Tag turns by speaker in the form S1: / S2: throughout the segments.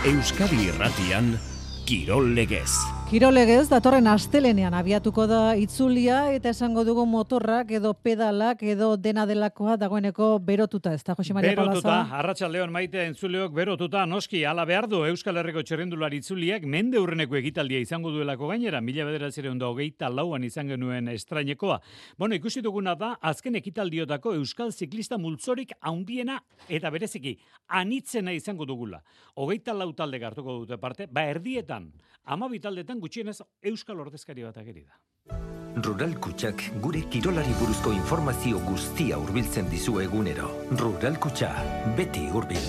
S1: Euskadi Irratian, Kirol Legez.
S2: Kirol Legez datorren astelenean abiatuko da itzulia eta esango dugu motorrak edo pedalak edo dena delakoa dagoeneko berotuta, ez da, Jose Maria Palaza?
S3: Berotuta, arratsaldeon maite entzuleok berotuta, noski, ala behar du Euskal Herriko txirrindulari itzuliak mende hurreneko ekitaldia izango duelako gainera, 1924an izan genuen estrainekoa. Bueno, ikusi duguna da, azken ekitaldiotako Euskal Ziklista multzorik handiena eta bereziki anitzena izango dugula. 24 talde hartuko dute parte, erdietan, 12 taldetan gutxienez Euskal ordezkari bat ageri da.
S4: Rural Kutxak gure kirolari buruzko informazio guztia hurbiltzen dizu egunero. Rural Kutxa, beti hurbil.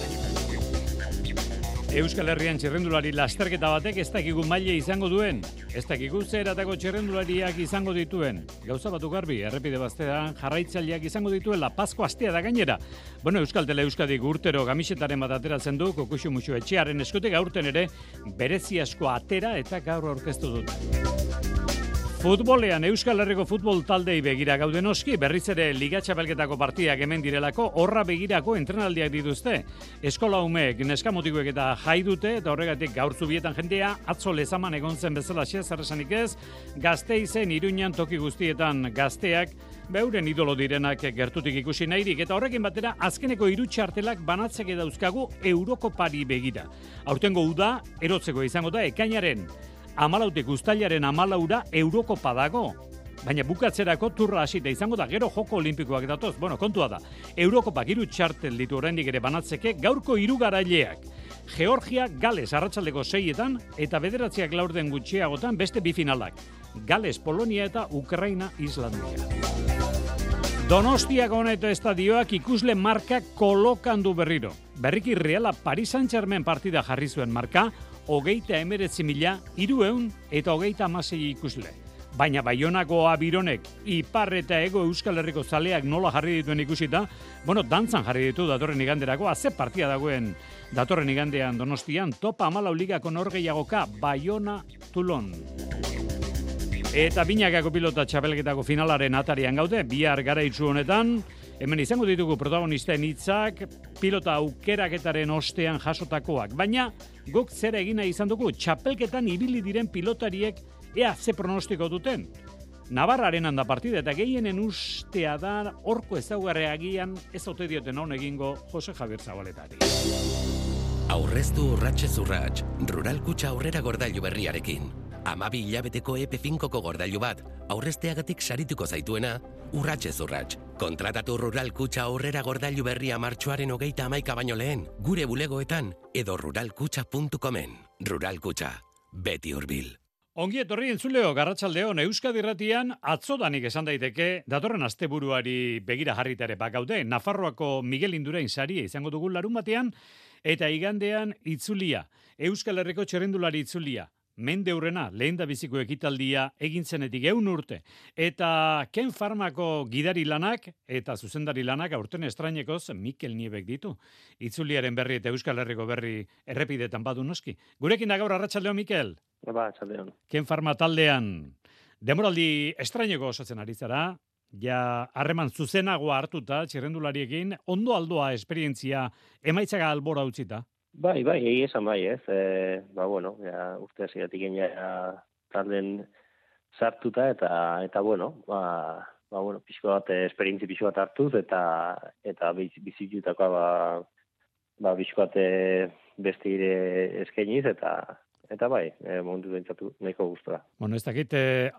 S3: Euskal Herrian txirrendulari lasterketa batek ez dakigu maila izango duen, ez dakigu zeratako txirrendulariak izango dituen. Gauza batu garbi, errepide baztean jarraitzaileak izango dituela, Pasko astea da gainera. Bueno, Euskal Tele Euskadik urtero gamisetaren bat ateratzen du, Kokuxu Muxu etxearen eskutik aurten ere berezi asko atera eta gaur aurkeztu dut. Futbolean Euskal Herriko futbol taldei begira gaude noski, berriz ere Liga Txapelketako partidak hemen direlako, horra begirako entrenaldiak dituzte. Eskola umeek, neskamotikoek eta jai dute, eta horregatik gaur zubietan jendea, atzo lezaman egon zen bezala zer esanik ez, Gasteizen, Iruñan, toki guztietan gazteak, beuren idolo direnak gertutik ikusi nahirik, eta horrekin batera azkeneko 3 txartelak banatzeke dauzkagu Eurokopari begira. Aurtengo uda, erotzeko izango da, ekainaren 14 uztailaren 14ra Eurokopa dago. Baina bukatzerako turra hasita izango da, gero joko olimpikoak datoz. Bueno, kontua da, Eurokopak 3 txartel ditu oraindik ere banatzeke, gaurko 3 garaileak. Georgia, Gales arratsaldeko 6etan, eta 9 laurden gutxiagotan beste 2 finalak. Gales, Polonia eta Ukraina, Islandia. Donostiako honeto estadioak ikusle marka kolokandu berriro. Berriki Reala Paris Saint-Germain partida jarri zuen marka, 39.300 eta 36 ikusle. Baina Baionako Abironek, Ipar eta Ego Euskal Herriko zaleak nola jarri dituen ikusita, bueno, dantzan jarri ditu datorren iganderako, ze partia dagoen datorren igandean Donostian, Topa 14 ligako norgehiagoka, Baiona Toulon. Eta binakako pilota txapelketako finalaren atarian gaude, bihar garaitzu honetan, hemen izango ditugu protagonisten hitzak, pilota aukeraketaren ostean jasotakoak, baina guk zera egina izan dugu, txapelketan ibili diren pilotariek ea ze pronostiko duten. Navarraren handa partida eta gehienen ustea da horko ezaugarriagian ez ote dioten hon egingo Jose Javier Zabaletari.
S5: Aurreztu urratxez urratx, Rural Kutxa aurrera gordailu berriarekin. 12 hilabeteko EP5ko gordailu bat, aurrezteagatik sarituko zaituena, urratxez urratx. Kontratatu Rural Kutxa aurrera gordailu berria martxoaren 31 baino lehen, gure bulegoetan edo ruralkutxa.comen. Rural Kutxa, beti hurbil.
S3: Ongi etorri entzuleo, Garratsaldeon Euskadi Irratian atzodanik esan daiteke datorren asteburuari begira jarritare bakaude. Nafarroako Miguel Indurain saria izango dugu larunbatean eta igandean itzulia. Euskal Herriko txirrindulari itzulia. Mende hurrena, lehen da biziko ekitaldia egin zenetik 100 urte. Eta Ken Farmako gidari lanak eta zuzendari lanak aurten estrainekoz Mikel Niebek ditu. Itzuliaren berri eta Euskal Herriko berri errepidetan badu noski. Gurekin da gaur arratsaldeon Mikel.
S6: Arratsaldeon.
S3: Ken Farma taldean demoraldi estraineko osatzen ari zara, ja harreman zuzenagoa hartuta txirrendulariekin, ondo aldoa esperientzia emaitzaka albora utzita.
S6: Bai, esan bai, ez. Bueno, ja, urte hasieratik ja talden sartuta eta bueno, bueno, pixko bat, esperientzi pixko bat hartuz eta bizitutakoa pixko bat beste ire eskainiz eta bai, momentu bentsatu nahiko gustora.
S3: Bueno, ez dakit,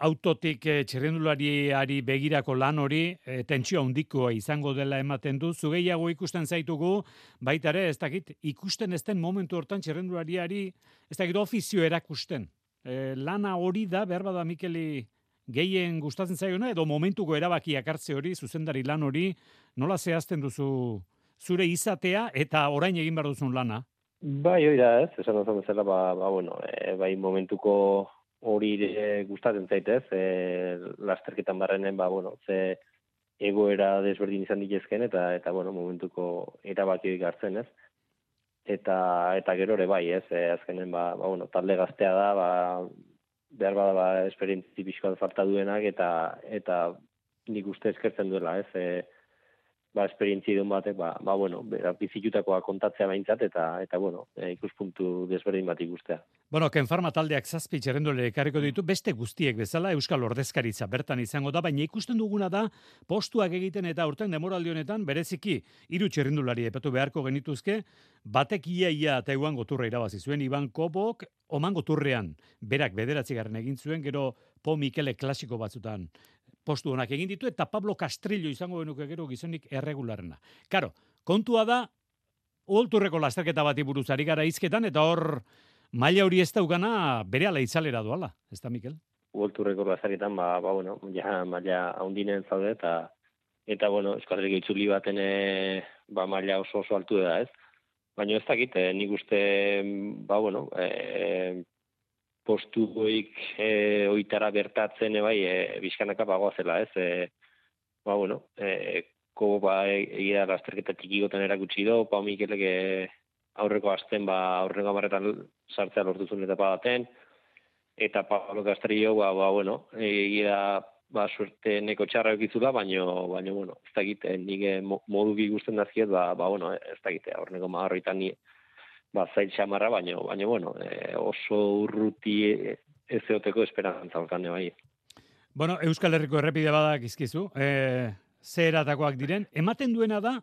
S3: autotik txirrendulariari begirako lan hori, tentsio handikoa izango dela ematen du, zugeiago ikusten zaitugu, baita ere, ez dakit, ikusten ez den momentu hortan txirrendulariari, ez dakit, ofizio erakusten. Lana hori da, behar bada Mikeli gehien gustatzen zaiona, edo momentuko erabakiak hartze hori, zuzendari lan hori, nola zehazten duzu zure izatea eta orain egin behar duzun lana?
S6: Bai, hori da, ez, esan duzun bezala, bueno, bai momentuko hori gustatzen zaitez, lasterketan barrenen, bueno, ze egoera desberdin izan ditezken, eta bueno, momentuko erabakioik hartzen, ez. Eta gero ere bai, ez, azkenen, bueno, talde gaztea da, behar bada, esperientzi pixkoan falta duenak, eta nik uste eskertzen duela, ez, esperientzia idun batek, bueno, bizitutakoa kontatzea behintzat, eta bueno, ikuspuntu desberdin bat ikustea.
S3: Bueno, Ken Pharma taldeak 7 txerrendulari ekarriko ditu, beste guztiek bezala Euskal Ordezkaritza bertan izango da, baina ikusten duguna da, postuak egiten eta aurten demoraldi honetan, bereziki 3 txerrendulari epatu beharko genituzke, batek ia eta eguan goturra irabazi zuen, Iban Kobok, oman goturrean, berak 9. egin zuen, gero Po Mikele klasiko batzutan, postu honak egin ditu, eta Pablo Castrillo izango genuke gero gizonik erregularena. Karo, kontua da, uholturreko lasterketa bati buruz ari gara hizketan, eta hor, maila hori ez daukana berehala itzalera doala, ez da, Mikel?
S6: Uholturreko lasterketan, bueno, ja maila haundinen zaude, eta bueno, Euskal Herriko itzuli baten maila oso altu da, ez? Baina ez dakit, nik uste, bueno, postuik oitara bertatzen bizkanaka bagoazela, ez? Bueno, Kobo egia lasterketa txikigoten erakutsi do, Pau Mikelek aurreko asten, aurreko amarretan sartzea lortu zuen etapa baten, eta Pablo Castrillo, bueno, egia suerte neko txarra eukizula, baina, bueno, ez dakit, nik modu bi guztien dazkiet, bueno, ez dakit, aurreko magarroitan zail xamarra, baina, bueno, oso urruti ez eoteko esperantza alkane bai.
S3: Bueno, Euskal Herriko errepide badak izkizu, zeheratakoak diren, ematen duena da,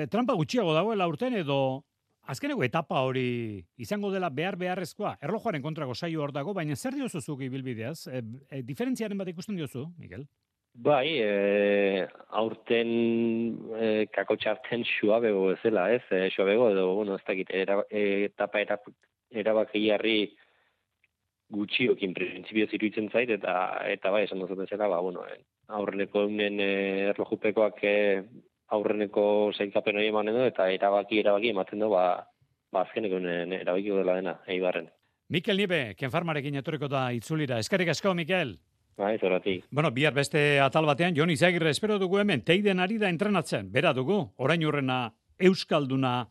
S3: trampa gutxiago dagoela urten edo azkeneko etapa hori izango dela beharrezkoa, erlojuaren kontrako saio hor dago, baina zer diozu zuk ibilbideaz? Diferentziaren bat ikusten diozu, Mikel?
S6: Bai, aurten kakotxarten suabego ezela, ez? Suabego edo, bueno, ez dakit, etapa erabakiarri gutxiokin printzipioz iruditzen zait, eta bai, esan dut bezala, bueno, aurreneko eunen erlojupekoak aurreneko zailkapen hori emanen du, eta erabaki ematen du, azkeneko erabakiko dela dena, Eibarren.
S3: Mikel Niebe, Ken Pharmarekin etorriko da itzulira. Eskerrik asko, Mikel.
S6: Bai, zoratik.
S3: Bueno, bihar beste atal batean, Jon Izagirre espero dugu hemen, teiden ari da entrenatzen. Bera dugu, orain urrena Euskalduna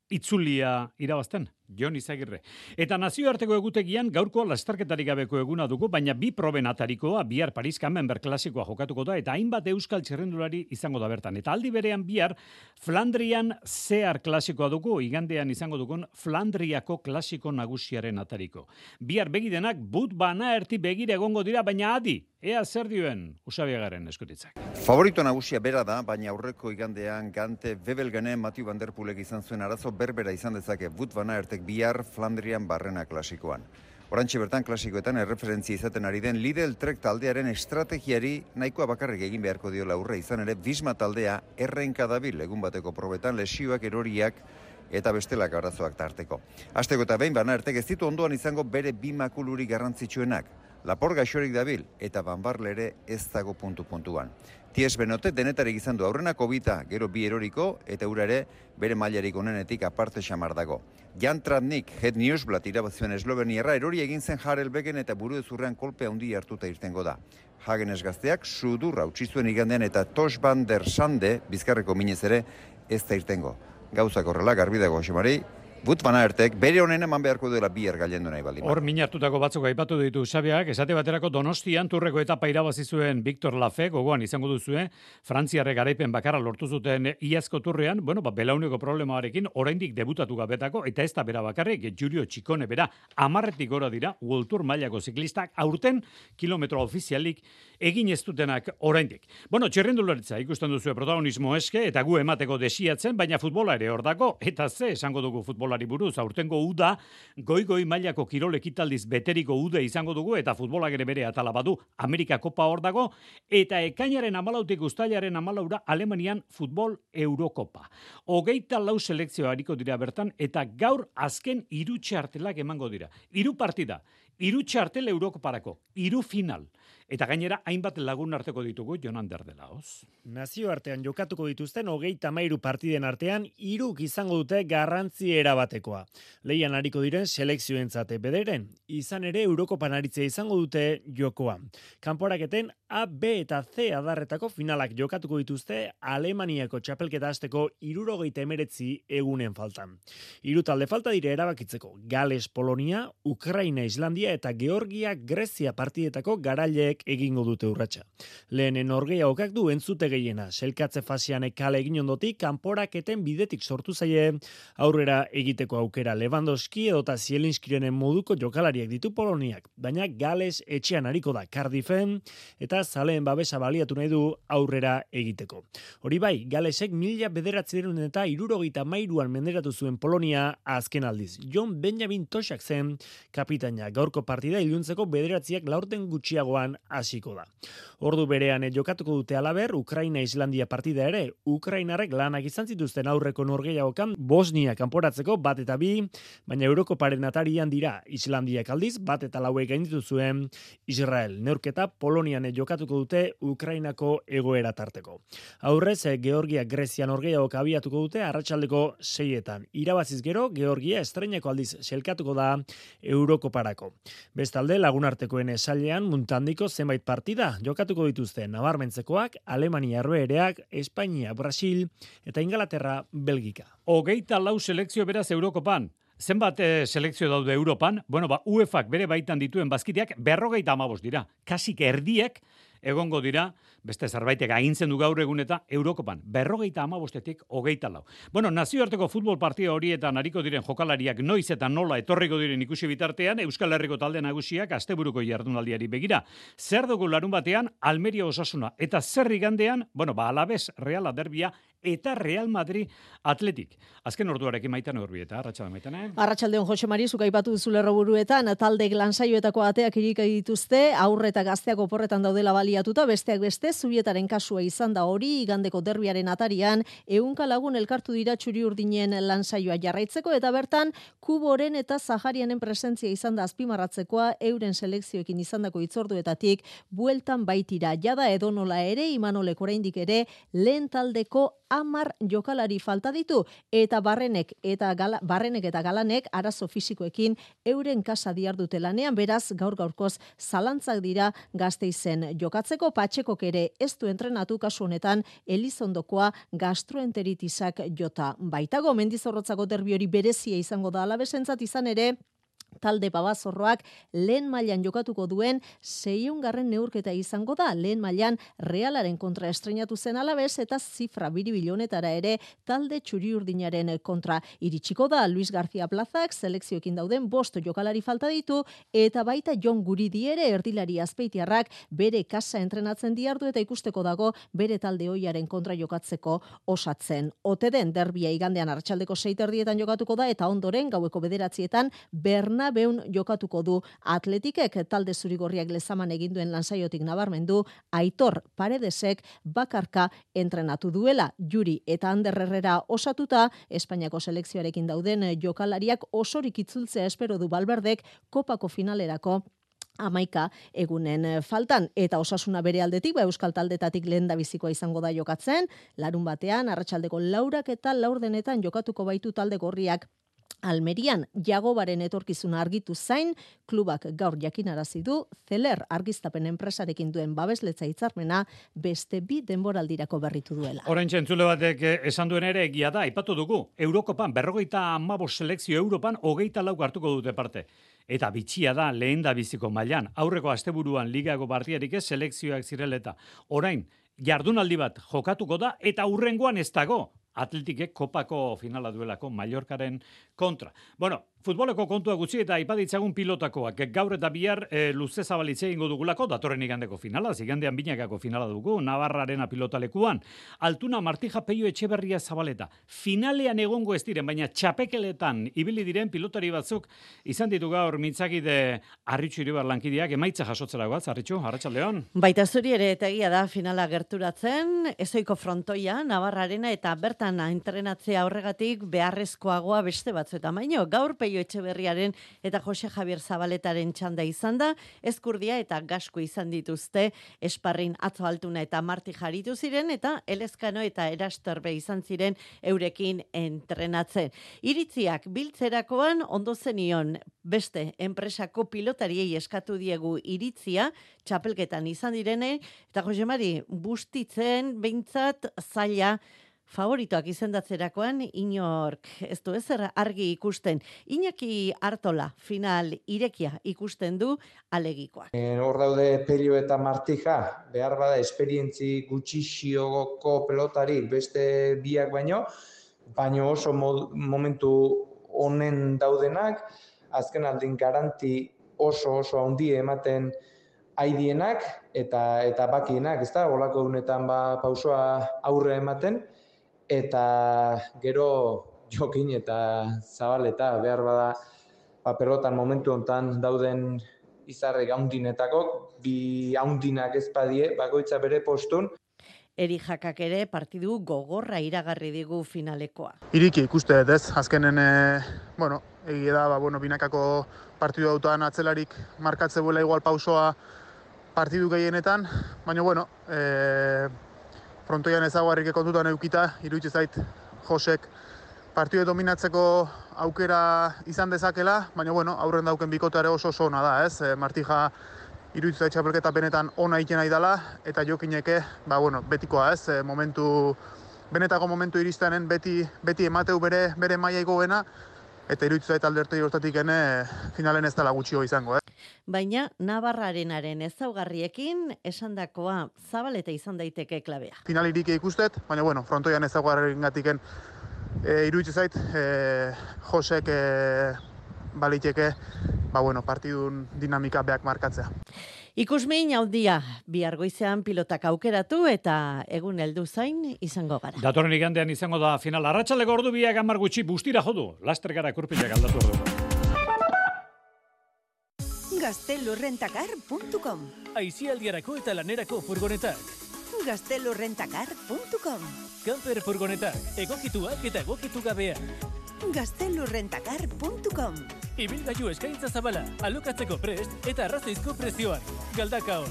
S3: itzulia irabazten. Jon Izagirre. Eta nazioarteko egutegian gaurko lasterketarik gabeko eguna dugu, baina 2 proben atarikoa, bihar Paris Camembert klasikoa jokatuko da, eta hainbat euskal txerrendulari izango da bertan. Eta aldi berean bihar Flandrian Zehar klasikoa dugu, igandean izango dugun Flandriako klasiko nagusiaren atariko. Bihar begidenak but bana erti begire egongo dira, baina adi, ea zer dioen Usabiagaren eskutitzak.
S7: Favorito nagusia bera da, baina aurreko igandean Gante Bebelgene Mathieu van der Poelek izan zuen arazo berbera izan dezake but bana ertek bihar Flandrian barrena klasikoan. Orantxe bertan klasikoetan erreferentzia izaten ari den Lidl Trek taldearen estrategiari nahikoa bakarrik egin beharko diola aurre, izan ere Visma taldea errenka dabil egun bateko probetan lesioak, eroriak eta bestelak arazoak tarteko. Hasteko eta behin bana ertek ez ditu ondoan izango bere 2 makuluri garrantzitsuenak. Lapor gaixorik dabil eta Van Barle ere ez dago puntuan. Ties Benote denetarik izan du aurrenako bita, gero 2 eroriko, eta ura ere bere mailarik onenetik aparte xamar dago. Jan Tratnik, Head Newsblad irabazioen esloveniarra, erori egin zen Harelbeken eta buruezurrean kolpe handi hartuta irtengo da. Hagenes gazteak sudurra utzi zuen igandean eta Tosh van der Sande, bizkarreko minez ere, ez da irtengo. Gauzak horrela, garbi dago, Xemari, but bana ertek, bere honen eman beharko dela bihar gailendu nahi baldin.
S3: Hor minartutako batzuk aipatu ditu Xabiak, esate baterako Donostian turreko etapa irabazi zuen Victor Lafay, gogoan izango duzue, Frantziarrek garaipen bakarra lortu zuten iazko turrean, bueno, belauneko problemarekin oraindik debutatu gabetako, eta ez da bera bakarrik, Julio Txikone bera, 10 gora dira, World Tour mailako ziklistak, aurten kilometro ofizialik egin ez dutenak oraindik. Bueno, txerrendularitza ikusten duzue protagonismo eske, eta gu emateko desiatzen, baina futbola ere hor dago, eta ze esango dugu futbolari buruz, aurtengo uda, goi mailako kirol ekitaldiz beteriko ude izango dugu, eta futbolak ere bere atala badu, Amerika Kopa hor dago, eta ekainaren 14 uztailaren 14 Alemanian futbol Eurokopa. 24 selekzio hariko dira bertan, eta gaur azken 3 txartelak emango dira. 3 partida, 3 txartel Eurokoparako, 3 final. Eta gainera, hainbat lagun arteko ditugu, Jonan Derdelaoz.
S8: Nazioartean jokatuko dituzten 33 partiden artean, 3 izango dute garrantzi erabatekoa. Lehian hariko diren selekzioentzate bederen, izan ere Eurokopan aritzea izango dute jokoa. Kanporaketen A, B eta C adarretako finalak jokatuko dituzte Alemaniako txapelketa hasteko 79 egunen faltan. 3 talde falta dire erabakitzeko: Gales, Polonia, Ukraina, Islandia eta Georgia-Grezia partidetako garaileek egingo dute urratsa. Lehenen norgehiagokak du entzute gehiena. Selkatze fasean kale egin ondotik, kanporaketen bidetik sortu zaie aurrera egiteko aukera. Lewandowski edota Zielinskirenen moduko jokalariak ditu Poloniak, baina Gales etxean ariko da Cardiffen eta zaleen babesa baliatu nahi du aurrera egiteko. Hori bai, Galesek 1973an menderatu zuen Polonia azken aldiz. John Benjamin Toshak zen kapitaina. Gaurko partida iluntzeko 9 laurden gutxiagoan hasiko da. Ordu berean jokatuko dute alaber Ukraina-Islandia partida ere. Ukrainarrek lanak izan zituzten aurreko norgehiagokan Bosnia kanporatzeko 1-2, baina Eurokoparen atarian dira. Islandiak aldiz 1-4 gainditu zuen Israel. Neurketa Polonian jokatuko dute Ukrainako egoera tarteko. Aurrez, Georgia-Grezia norgehiagok abiatuko dute arratsaldeko 6etan. Irabaziz gero, Georgia estreinako aldiz selkatuko da Eurokoparako. Bestalde, lagunartekoen esailean muntandiko zenbait partida jokatuko dituzte nabarmentzekoak, Alemania Herbehereak, Espainia, Brasil eta Ingalaterra, Belgika.
S3: 24 selekzio beraz Eurokopan. Zenbat selekzio daude Europan? Bueno, UEFak bere baitan dituen bazkideak 55 dira. Kasik erdiek egongo dira, beste zerbaitek agintzen du gaur egun eta Eurokopan. 55-etik 24. Bueno, nazioarteko futbol partida horietan ariko diren jokalariak noiz eta nola etorriko diren ikusi bitartean, Euskal Herriko talde nagusiak asteburuko jardunaldiari begira. Zer dugu larun batean, Almeria Osasuna, eta zer igandean, Alavés Reala derbia, eta Real Madrid Atletik. Azken orduarekin Maitane Urbieta, arratsalde Maitane.
S9: Arratsaldeon Jose Mari, zuk aipatu duzu lerroburuetan, taldeek lansaioetako ateak irika dituzte, aurre eta gazteak oporretan daudela baliatuta, besteak beste, Zubietaren kasua izan da hori, igandeko derbiaren atarian, 100 lagun elkartu dira Txuri-Urdinen lansaioa jarraitzeko, eta bertan, Kuboren eta Zaharianen presentzia izan da azpimarratzekoa, euren selekzioekin izandako hitzorduetatik, bueltan baitira, jada edonola ere, Imanolek oraindik ere, lehen taldeko 10 jokalari falta ditu, eta barrenek eta galanek arazo fisikoekin euren kasa diardute lanean, beraz gaur-gaurkoz zalantzak dira Gasteizen jokatzeko. Patxekok ere ez du entrenatu, kasu honetan Elizondokoa gastroenteritisak jota baitago. Mendizorrotzako derbi hori berezia izango da Alabesentzat, izan ere talde Babazorroak lehen mailan jokatuko duen 600. neurketa izango da. Lehen mailan Realaren kontra estreinatu zen Alavés eta zifra biribilonetara ere talde Txuri-Urdinaren kontra iritsiko da. Luis García Plazak selekzioekin dauden 5 jokalari falta ditu, eta baita Jon Guridi ere erdilari azpeitiarrak bere kasa entrenatzen diardu eta ikusteko dago bere talde ohiaren kontra jokatzeko osatzen. Ote den derbia igandean arratsaldeko 6:30 jokatuko da, eta ondoren gaueko 9:00 Bernabeun jokatuko du Atletikek. Talde zurigorriak lezaman egin duen lansaiotik nabarmendu, Aitor Paredesek bakarka entrenatu duela. Juri eta Ander Herrera osatuta, Espainiako selekzioarekin dauden jokalariak osorik itzultzea espero du Valverdek kopako finalerako 11 egunen faltan, eta Osasuna bere aldetik, Euskal taldetatik lehendabizikoa izango da jokatzen. Larun batean, arratsaldeko 4 eta 4 jokatuko baitu talde gorriak Almerian. Jagobaren etorkizuna argitu zain, klubak gaur jakinarazi du, Zeler argiztapen enpresarekin duen babesletza hitzarmena beste 2 denboraldirako berritu duela.
S3: Oraintxe entzule batek esan duen ere egia da, aipatu dugu, Eurokopan 55 selekzio Europan 24 hartuko dute parte. Eta bitxia da lehendabiziko mailan. Aurreko asteburuan ligako partidarik ez selekzioak zireleta. Orain, jardunaldi bat jokatuko da eta hurrengoan ez dago. Atletikek kopako finala duelako Mallorcaren kontra. Bueno, futboleko kontua gutxi eta aipaditzagun pilotakoak. Gaur eta bihar luze zabalitze egingo dugulako, datorren igandeko finala, igandean binakako finala dugu, Navarrarena pilotalekuan. Altuna Martija Peio Etxeberria Zabaleta. Finalean egongo ez diren, baina txapekeletan ibili diren pilotari batzuk izan ditu gaur mintzakide Arritxu Iribar lankideak emaitza jasotzera goaz, Arritxu, arratsaldeon.
S9: Baita zuri ere eta egia da finala gerturatzen, ezoiko frontoia, Navarrarena eta bertan entrenatzea horregatik beharrezkoagoa beste batzuetan baino. Gaur Peio Etxeberriaren eta Jose Javier Zabaletaren txanda izan da, Ezkurdia eta Gasko izan dituzte, Esparrin Atzo Altuna eta Marti jaritu ziren, eta Elezkano eta Erasterbe izan ziren eurekin entrenatzen. Iritziak biltzerakoan ondo zenion beste enpresako pilotariei eskatu diegu iritzia, txapelketan izan direne, eta Jose Mari bustitzen behintzat zaila
S10: favoritoak izendatzerakoan inork ez du ezer argi ikusten. Iñaki Artola final irekia ikusten du alegikoak.
S11: Hor daude Pello eta Martija, behar bada esperientzi gutxixioko pelotari beste biak baino oso momentu honen daudenak, azken aldin garanti oso handi ematen haidienak eta bakienak, ez da, olako unetan pausoa aurre ematen, eta gero Jokin eta Zabaleta behar bada pelotan momentu hontan dauden izarrek haundinetako, bi haundinak ezpadie, bakoitza bere postun.
S10: Eri Jakak ere partidu gogorra iragarri digu finalekoa.
S12: Iriki ikuste dut ez, azkenen, egia da, binakako partidu autoan atzelarik markatze buela igual pausoa partidu gehienetan, baina, frontoian ezaguarrik kontutan eukita, iruditzen zait Josek partidu dominatzeko aukera izan dezakela, baina, aurren dauken bikoteare oso ona da, ez? Martija iruditzen zait txapelketa benetan ona egiten nahi dela, eta Jokineke, betikoa, ez? Benetako momentu iristenen beti emateu bere mailaiko bena, eta iruditzen zait aldertei hortatik finalen ez dela gutxio izango,
S10: Baina Navarrarenaren ezaugarriekin esandakoa Zabaleta izan daiteke klabea.
S12: Finalirik ikustet, baina frontoian ezaugarriengatiken iruditzen zait Josek baliteke partidun dinamika beak markatzea.
S10: Ikusmin handia bihar goizean pilotak aukeratu eta egun heldu zain izango gara.
S3: Datorren igandean izango da final. Arratsaldeko ordu biak 10 gutxi bustira jodu. Laster gara kurpilak aldatu ordu.
S13: Gaztelurrentacar.com
S14: Aizialdiarako eta lanerako furgonetak.
S13: Gaztelurrentacar.com
S14: Camper furgonetak, egokituak eta egokitu gabeak.
S13: Gaztelurrentacar.com
S14: Ibilgailu eskaintza zabala, alokatzeko prest eta arrazoizko prezioan. Galdakao.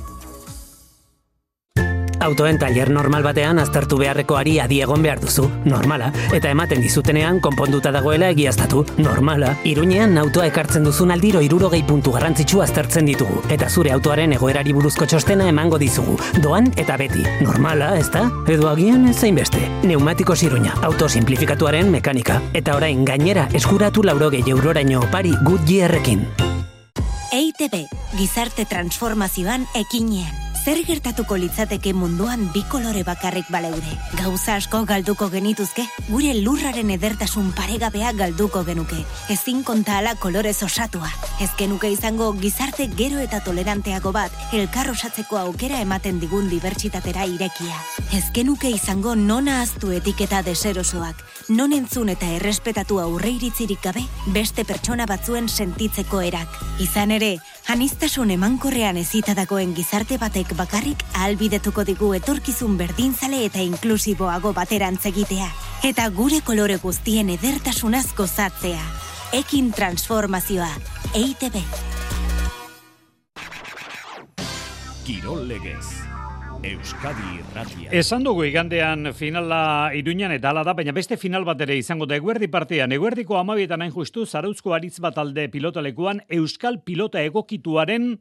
S15: Autoen taller normal batean aztertu beharrekoari adi egon behar duzu, normala, eta ematen dizutenean konponduta dagoela egiaztatu, normala. Iruñean autoa ekartzen duzun aldiro 60 puntu garrantzitsu aztertzen ditugu, eta zure autoaren egoerari buruzko txostena emango dizugu, doan eta beti, normala, ezta? Edo agian ezain beste. Neumatikos Iruña, auto simplifikatuaren mekanika, eta orain gainera eskuratu 80 euroraino opari Goodyearrekin.
S16: EITB, gizarte transformazioan ekinean. Zer gertatuko litzateke munduan bi kolore bakarrik baleude? Gauza asko galduko genituzke, gure lurraren edertasun paregabea galduko genuke. Ezin konta ala kolorez osatua. Ez genuke izango gizarte gero eta toleranteago bat, elkar osatzeko aukera ematen digun dibertsitatera irekia. Ez genuke izango non ahaztu etiketa deserosoak, non entzun eta errespetatu aurreiritzirik gabe, beste pertsona batzuen sentitzeko erak. Izan ere, aniztasun emankorrean ezita dagoen gizarte batek bakarrik ahalbidetuko digu etorkizun berdinzale eta inklusiboago baterantz egitea. Eta gure kolore guztien edertasunaz gozatzea. Ekin transformazioa. EITB.
S1: Kirol legez. Euskadi Irratia.
S3: Esan dugu igandean finala Iruñan eta hala da, baina beste final bat ere izango da eguerdi partean. Eguerdiko 12etan hain justu Zarauzko aritz bat alde pilotalekuan Euskal Pilota Egokituaren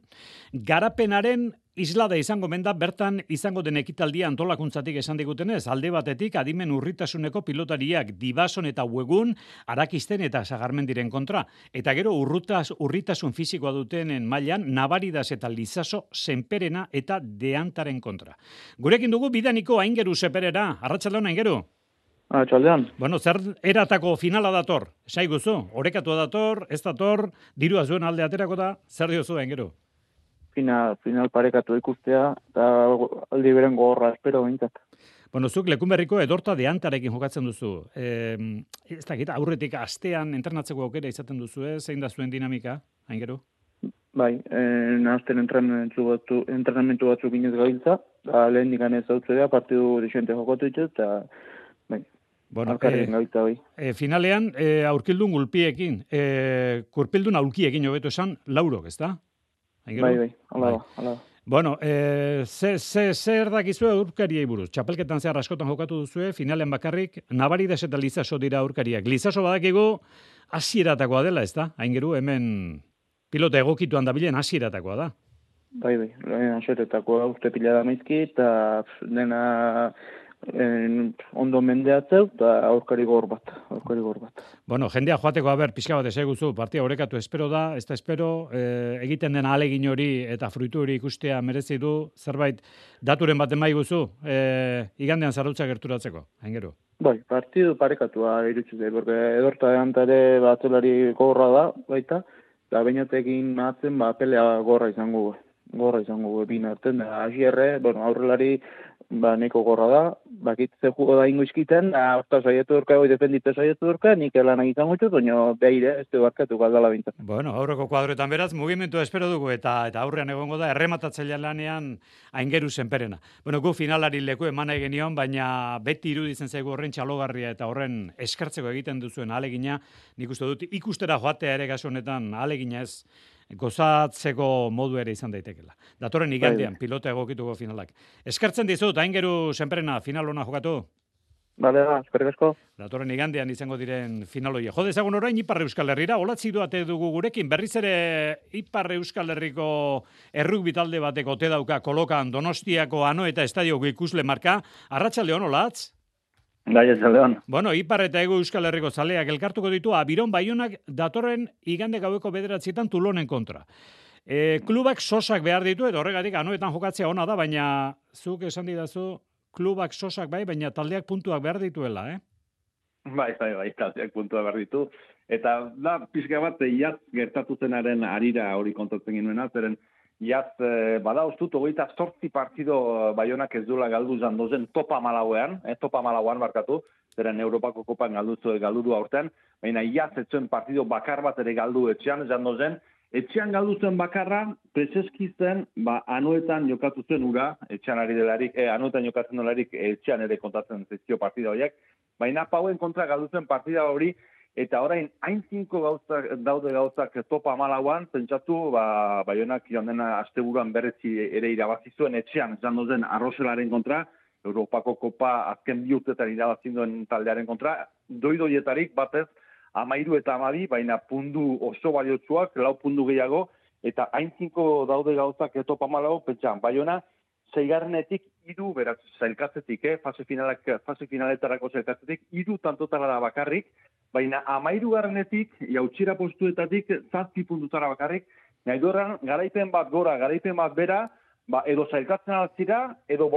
S3: garapenaren islada izango menda, bertan izango den ekitaldia antolakuntzatik esan digutenez, alde batetik adimen urritasuneko pilotariak Dibason eta Uegun Arakisten eta Sagarmendiren kontra, eta gero urritasun fisikoa dutenen mailan Nabaridas eta Lizaso Senperena eta Deantaren kontra. Gurekin dugu bidaniko Aingeru Seperera, arratsaldeon Aingeru.
S17: Arratsaldeon.
S3: Bueno, zer eratako finala dator? Saiguzu, orekatua dator, ez dator, dirua zuen alde aterako da, zer diozu Aingeru?
S17: Final parekatu ikustea, eta aldi beren gogorra espero bintzat.
S3: Bueno, zuk Lekunberriko Edorta Deantarekin jokatzen duzu. Ez dakit, aurretik astean entrenatzeko aukera izaten duzu, zein da zuen dinamika, Aingeru?
S17: Bai, nahazten entrenamentu batzuk inez gabiltza, da lehen dikan ez hautzea, partidu desente jokatu ditut, eta bai, alkarren gabiltza bai.
S3: Finalean, aurkildun gulpiekin, kurpildun aulkiekin hobeto esan, laurok, ez da?
S17: Bai, hala da.
S3: Bueno, zer dakizu aurkariei buruz? Txapelketan zehar askotan jokatu duzue, finalean bakarrik, Nabaridas eta Lizaso dira aurkariak. Lizaso badakigu hasieratakoa dela, ez da? Aingeru, hemen pilota egokituan dabilen hasieratakoa da.
S17: Bai, hasieratakoa uste pila da maizki, eta dena ondo mendeatzeu, eta aurkari gor bat.
S3: Bueno, jendea joateko pixka bat eseguzu, partia orekatu espero da, ez da espero, egiten den ahalegin hori eta fruitu hori ikustea merezi du, zerbait daturen bat emai guzu, igandean zarrutza gerturatzeko, haingeru.
S17: Bai, partidu parekatua irutxute, porque edorta antare batzelari gorra da, baita, eta bainatekin matzen, pelea gorra izango bin arten, asierre, aurrelari, neko gorra da, bakitze jugo da ingo izkiten, hasta saietu durka, defendite saietu durka, nik elan egiten gutxut, baina beire, ez du barkatu galdala bintzen.
S3: Bueno, aurreko kuadroetan beraz, mugimendu espero dugu, eta aurrean egongo da, errematatzailean lanean aingeru zenperena. Bueno, gu finalari leku eman nahi genion, baina beti iruditzen zaigu horren txalogarria eta horren eskartzeko egiten duzuen ahalegina, nik uste dut, ikustera joatea ere gaso honetan ahalegina ez, gozatzeko modu ere izan daitekela. Datorren igandean, pilota egokituko finalak. Eskertzen dizut, aingeru zenperena final hona jokatu?
S17: Bale, eskerrik asko.
S3: Datorren igandean izango diren finaloia. Jode ezagun orain Ipar Euskal Herrira, olatzi duate dugu gurekin, berriz ere Ipar Euskal Herriko errugbi talde bateko te dauka kolokan Donostiako Anoeta estadioko ikusle marka. Arratsaldeon, olatz?
S13: Leon.
S3: Bueno, Ipar eta Hego Euskal Herriko zaleak elkartuko ditu Abiron Baionak datorren igande gaueko 9 Tulonen kontra. Klubak sosak behar ditu, eta horregatik Anoetan jokatzea ona da, baina zuk esan didazu, klubak sosak bai, baina taldeak puntuak behar dituela,
S13: Bai, taldeak puntuak behar ditu. Eta da, pixka bat, iaz gertatu zenaren arira hori kontatzen ginuena, zeren iaz, bada ustut, 28 partido Baionak ez duela galdu zandozen topa malauean barkatu, zeren Europako kopan galduru aurten, baina iaz etzuen partido bakar bat ere galdu etxean zandozen, etxean galdu zen bakarra, prezeski zen, Anoetan jokatu zen ura, etxean ari delarik, Anoetan jokatzen delarik etxean ere kontatzen zizkio partida horiek, baina pauen kontra galdu zen partida hori, eta orain, hain 5 daude gauzak topa malauan, pentsatu, Baionak joan dena asteburuan berretzi ere irabazi zuen etxean, zandozen Arroselaren kontra, Europako kopa azken 2 urtetan irabazin duen taldearen kontra, doidoietarik batez, 13 eta 12, baina pundu oso baliotsuak, 4 pundu gehiago, eta hain 5 daude gauzak topa malau, pentsan, Baiona, 6. 3, beraz, zailkatzetik, fase finaletarako zailkatzetik, 3 tantotara da bakarrik, baina 13. Jautxira postuetatik 7 puntutara bakarrik, nahi doran, garaipen bat gora, garaipen bat bera, edo zailkatzen altzira, edo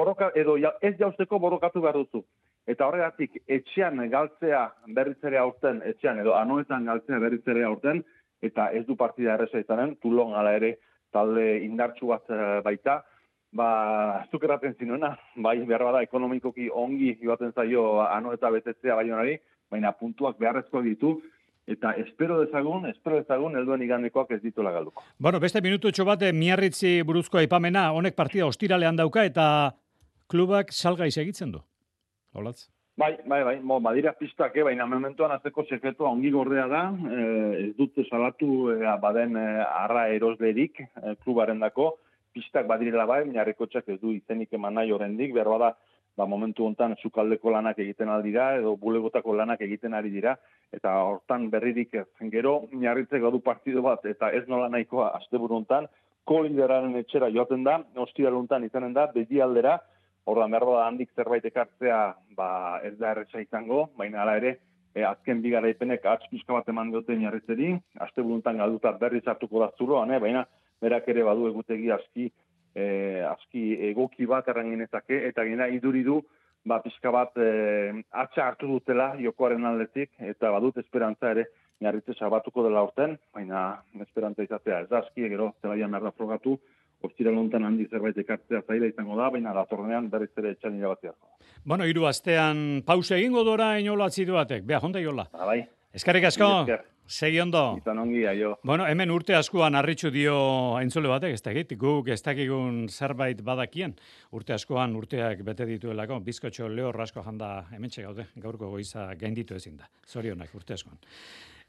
S13: ez jausteko borrokatu behar duzu. Eta horregatik, etxean galtzea berritzere aurten, edo Anoetan galtzea berritzere aurten, eta ez du partida erreza izanen, Tulon ala ere talde indartsu bat baita, zuk erraten zinuena, bai, behar bada ekonomikoki ongi joaten zaio Anoeta betetzea Baionari, baina puntuak beharrezko ditu, eta espero dezagun, helduen igandekoak ez dituela galduko.
S3: Bueno, beste minututxo bat, Miarritzi buruzko aipamena, honek partida ostiralean dauka, eta klubak salgai segitzen du. Olatz?
S13: Bai, badira pistak, baina mementoan azteko sekretua ongi gordea da, ez dut salatu baden arra eroslerik klubaren dako, pistak badirela bai, Miarrikotxak ez du izenik eman nahi horrendik, behar bada, momentu hontan sukaldeko lanak egiten aldira, edo bulegotako lanak egiten ari dira, eta hortan berririk gero, Miarritzek gadu partido bat, eta ez nola nahikoa asteburu hontan, kolideraren etxera joaten da, ostiral hontan izanen da, begi aldera, ordan behar da handik zerbait ekartzea, ez da erretxa izango, baina hala ere, azken bigaraipenek pixka bat eman diote Miarritzeri, asteburu hontan galduta berriz hartuko da zuloan, baina berak ere badu egutegi aski egoki bat erranginezake, eta gena iduridu, pixka bat atxa hartu dutela jokoaren aldetik, eta badut esperantza ere Miarritze sabatuko dela urten, baina esperantza izatea ez da aski, gero zelaian behar da frogatu, ostiral hontan handi zerbait ekartzea zaila izango da, baina datorrenean berriz ere etxan irabatzea.
S3: Bueno, 3 astean pausa egingo dora inolatzi duatek. Bea, jonda jola.
S13: Bai.
S3: Eskerrik asko. Segi ondo.
S13: Izan ongi, aio.
S3: Bueno, hemen urte askoan harritxu dio aintzule batek, ez dakit, guk ez dakigun zerbait badakien. Urte askoan urteak bete dituelako, bizkotxo lehor asko janda hementxe gaude, gaurko goiza gainditu ezin da. Zorionak urte askoan.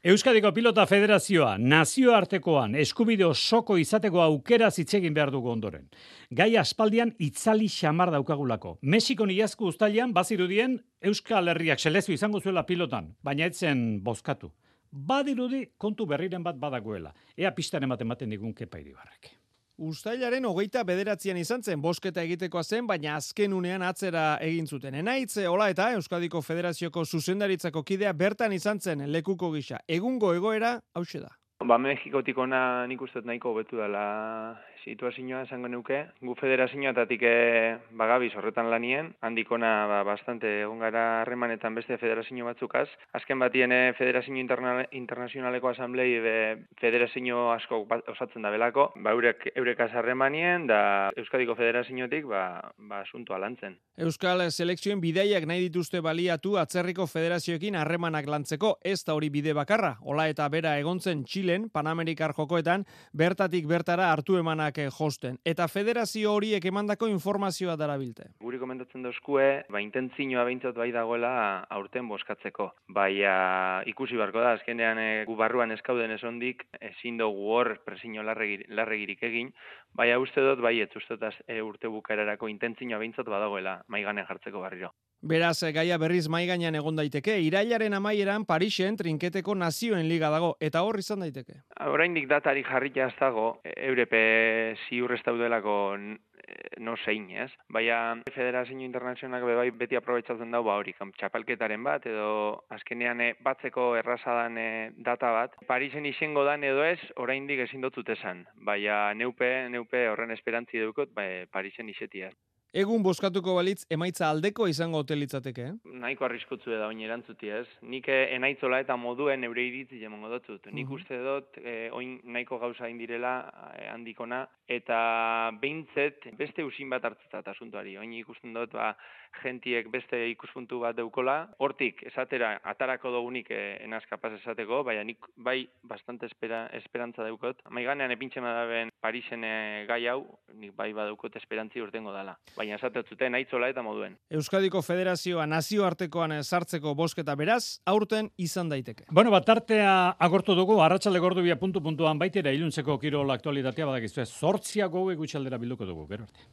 S3: Euskadiko Pilota Federazioa nazioartekoan eskubide osoko izateko aukera zitzegin behar dugu ondoren. Gai aspaldian itzali xamar daukagulako. Mexikon iazko uztailean bazirudien Euskal Herriak selezio izango zuela pilotan, baina etzen bozkatu. Badirudi kontu berriren bat badagoela. Ea pistaren ematen digun Kepa Iribarrek.
S8: Uztailaren 29an izan zen, bosketa egitekoa zen, baina azken unean atzera egin zuten. Enaitz, hola eta Euskadiko Federazioko zuzendaritzako kidea bertan izan zen lekuko gisa. Egungo egoera hauxe da.
S18: Mexikotik ona nik uste nahiko hobetu dela situazioa esango neuke. Gu federazioetatik bagabiz horretan lanien, handikona bastante egon gara harremanetan beste federazio batzukaz. Azken batien Federazio Internazionaleko Asamblei federazio asko osatzen da belako, eurekaz harremanien da Euskadiko Federazioetik asuntoa lantzen.
S8: Euskal selekzioen bidaiak nahi dituzte baliatu atzerriko federazioekin harremanak lantzeko, ez da hori bide bakarra. Hola eta bera egontzen Txilen, Panamerikar jokoetan, bertatik bertara hartu emanak josten. Eta federazio horiek emandako informazioa darabilte.
S18: Guri komentatzen dauzkue, intentzioa behintzat bai dagoela aurten boskatzeko. Baina ikusi barko da, azkenean gu barruan eskauden esondik, ezin dugu hor presio larregirik egin, baina uste dut, urte bukaerarako intentzioa behintzat badagoela maiganean jartzeko barriro.
S8: Beraz, gaia berriz maigainan egon daiteke, irailaren amaieran Parisen trinketeko nazioen liga dago, eta hor izan daiteke.
S18: Oraindik datari jarrita ez dago, eurepe ziur ez daudelako no zein, ez? Baina Federazio Internazionalak beti aprobetsatzen dau hori, txapelketaren bat, edo azkenean batzeko errazadan data bat. Parisen izango dan edo ez, oraindik ezin dutut esan. Baina neupe horren esperantzi dukot, Parisen izetia.
S8: Egun boskatuko balitz emaitza aldeko izango hotelitzateke,
S18: Nahiko arriskutzu da oin erantzuti, ez? Nik enaitzola eta moduen eure iritzi jemongo dutut. Nik uste dut, oin nahiko gauza indirela handikona, eta behintzet beste usin bat hartzetat asuntuari. Oin ikusten dut, gentiek beste ikuspuntu bat deukola. Hortik, esatera, atarako dugunik enaz kapaz esateko, baina nik bai bastante esperantza daukot. Maiganean epintxe madaben Parisen gai hau, nik bai badaukot esperantzi urtengo dala. Baina esatetzuten aitzola eta moduen.
S8: Euskadiko Federazioa nazioartekoan sartzeko bosketa beraz, aurten izan daiteke.
S3: Bueno, tartea agortu dugu, arratsalde gordubia puntu-puntuan baitera iluntzeko kirol aktualitatea badakizu. 8 gutxaldera bilduko dugu, gero arte.